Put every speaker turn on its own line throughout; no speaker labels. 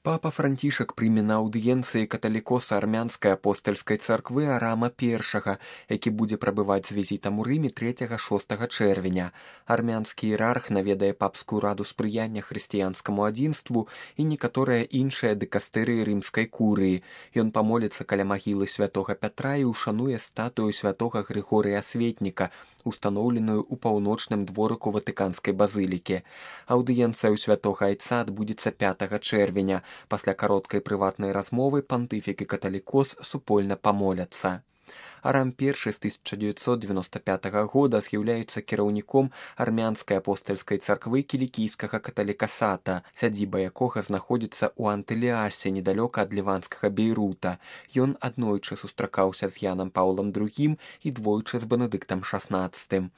Папа Францішак прыме на аўдыенцыі каталікоса армянскай апостальскай царквы Арама I, які будзе прабываць з візітам у Рыме 3-6 чэрвеня. Армянскі іерарх наведае папскую раду спрыяння хрысціянскаму адзінству і некаторыя іншыя дыкастэрыі рымскай курыі. Ён памоліцца каля магілы святога Пятра і ушануе статую святога Грыгорыя Асветніка, устаноўленую ў паўночным дворыку Ватыканскай базылікі. Аўдыенцыя ў святога Айца адбудзецца 5 чэрвеня. Пасля кароткай прыватнай размовы пантыфік і каталікос супольна памоляцца. Арам I з 1995 года з'яўляецца кіраўніком армянскай апостальскай царквы кілікійскага каталікасата, сядзіба якога знаходзіцца ў Антыліасе, недалёка ад ліванскага Бейрута. Ён аднойчы сустракаўся з Янам Паўлам II і двойчы з Бенедыктам XVI.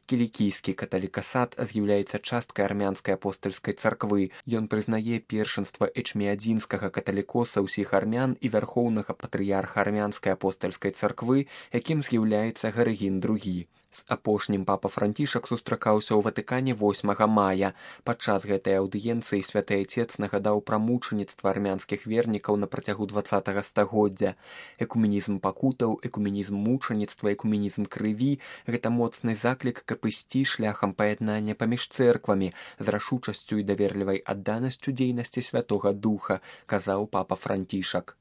Кілікійскі каталікасат з'яўляецца часткай армянскай апостальскай царквы. Ён прызнае першынства эчміадзінскага каталікоса ўсіх армян і вярхоўнага патрыярха армянскай апостальскай царквы, якім з'яўляецца Гарыгін II. З апошнім папа Францішак сустракаўся ў Ватыкане 8 мая. Падчас гэтай аўдыенцыі святы Айцец нагадаў пра мучаніцтва армянскіх вернікаў на працягу 20 стагоддзя. Экуменізм пакутаў, экуменізм мучаніцтва, экуменізм крыві – гэта моцны заклік, каб ісці шляхам паяднання паміж цэрквамі з рашучасцю і даверлівай адданасцю дзейнасці Святога Духа, казаў папа Францішак.